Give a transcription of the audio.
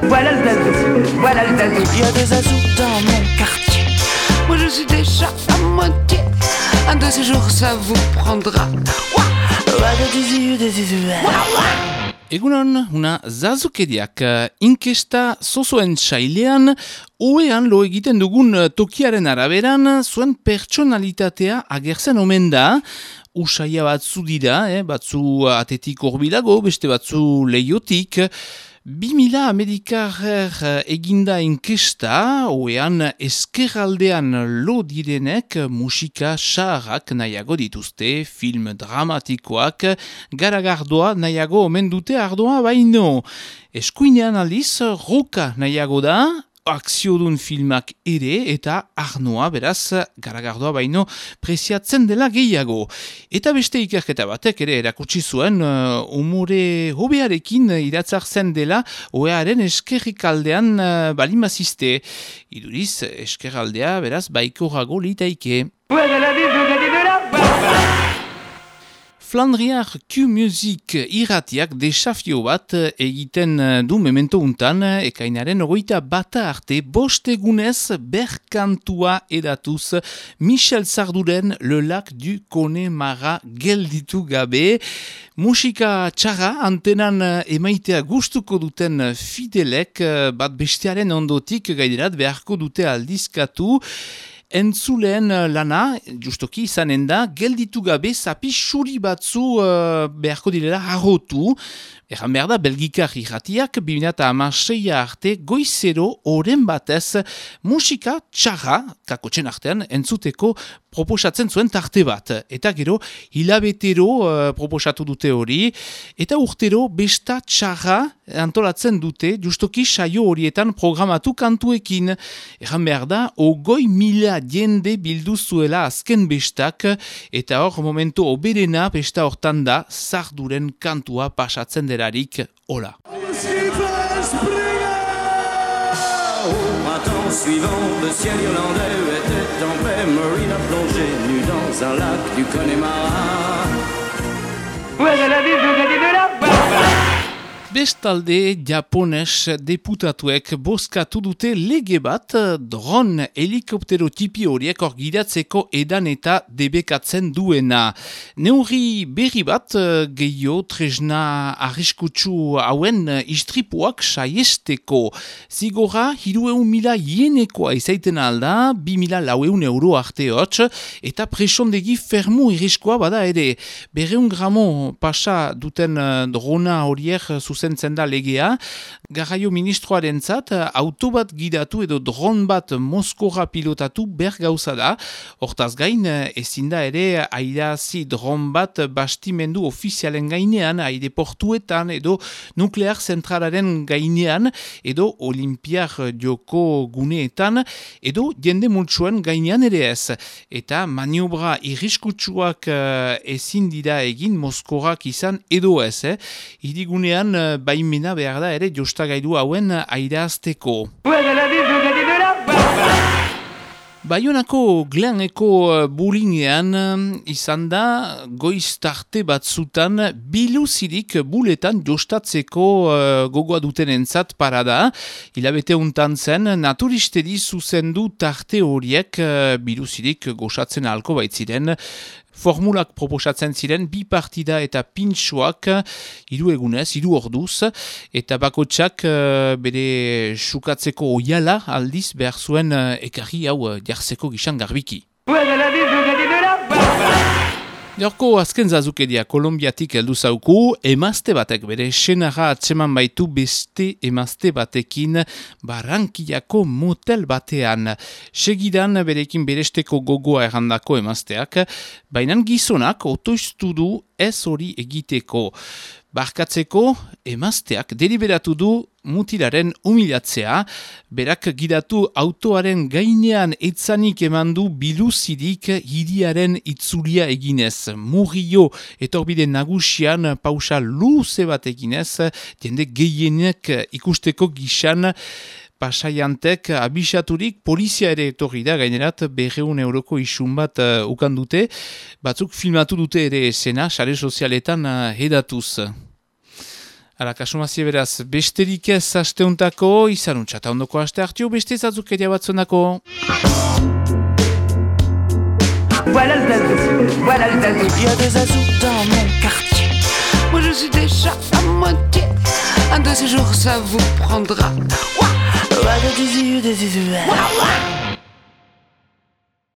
Voilà le zazou, voilà le zazou. Il y a des zazous dans mon quartier. Moi je suis déjà à moitié. Un de ces jours ça vous prendra. Egunon, una zazukeriak inkesta zozoen sailean, oean lo egiten dugun tokiaren araberan, zuen pertsonalitatea agertzen omen da. Usaia batzu dira, batzu atetik horbilago, beste batzu leiotik. 2000 amerikarrer eginda inkesta, oean eskerraldean lo direnek musika saharrak nahiago dituzte, film dramatikoak, garagardoa nahiago omen dute ardoa baino. Eskuinean aldiz, roka nahiago da, akziodun filmak ere eta arnoa beraz garagardoa baino preziatzen dela gehiago. Eta beste ikerketa batek ere erakutsi zuen umore hobearekin iratzartzen dela oearen eskerrikaldean balimaziste. Iduriz eskerraldea beraz baikorago litaike. Flandriar Q-Music irratiak desafio bat egiten du memento untan, ekainaren 21 arte bostegunez berkantua edatuz Michel Sarduren Le Lac du Connemara gelditu gabe. Musika txarra antenan emaitea gustuko duten fidelek bat bestearen ondotik gaiderat beharko dute aldizkatu. Entzuleen lana, justoki izanen da, gelditu gabe zapi xuri batzu beharko direla harrotu. Egan behar da, belgikar irratiak 2016 arte goizero oren batez musika txarra, kakotxen artean, entzuteko proposatzen zuen tarte bat. Eta gero, hilabetero proposatu dute hori, eta urtero besta txarra antolatzen dute, justoki saio horietan programatu kantuekin. Egan behar da, 20.000 jende bildu zuela azken bestak, eta hor momentu oberena besta hortan da, Sarduren kantua pasatzen derarik, hola. Printemps suivant, le ciel irlandais était en paix. Marine a plongé nue dans un lac du Connemara. Bestalde, japones deputatuek bozkatu dute lege bat dron helikoptero tipi horiek orgidatzeko edan eta debekatzen duena. Neurri berri bat gehiago tresna arriskutsu hauen istripuak saiesteko. Zigorra 300.000 ienekoa izaiten alda, 2.400 euro arte hotz, eta presondegi fermu irriskoa bada ere. 200 gramo pasa duten drona horiek zuzentzen da legea, garraio ministroarentzat auto bat gidatu edo dron bat Moskora pilotatu ber gauza da. Hortaz gain, ezin da ere airazi dron bat bastimendu ofizialen gainean, aireportuetan edo nuklear zentralaren gainean, edo olimpiar joko guneetan, edo jende multsuen gainean ere ez. Eta maniobra irriskutsuak ezin dira egin Moskorak izan edo ez. Hirigunean baimena behar da ere jostagailu hauen airazteko. Baionako Glaneko bulingean izan da goiz tarte batzutan biluzirik buletan jostatzeko gogoa duten entzat parada. Hilabete untan zen naturisteri zuzendu tarte horiek biluzirik gozatzen ahalko baitziren. Formulak proposatzen ziren bi partida eta pintxoak 3 egunez, 3 orduz, eta bakotsak bere sukatzeko oiala aldiz behar zuen ekarri hau jarzeko gizan garbiki. Gaurko azken zazukeria Kolombiatik heldu zauku, emazte batek bere senarra atseman baitu beste emazte batekin Barranquillako motel batean. Segidan berekin beresteko gogoa errandako emazteak, baina gizonak otoiztu du ez hori egiteko. Barkatzeko emazteak deliberatu du mutilaren humilatzea, berak gidatu autoaren gainean etzanik emandu biluzirik hiriaren itzulia eginez. Murillo etorbide nagusian pausa luze bat eginez, jende gehienek ikusteko gixan, pasaiantek abisaturik polizia ere etorri da, gainerat 200 euroko isun bat ukan dute, batzuk filmatu dute ere esena, sare sozialetan hedatuz. Ara, kasumazie beraz, besterik ez asteuntako, izanuntxata ondoko aste hartio, beste zazukeria batzunako. Voilà le zazou, voilà le zazou. Il y a des azous dans mon quartier. Moi je suis déjà à moitié. Un de ces jours ça vous prendra. Ouah, ouah, ouah.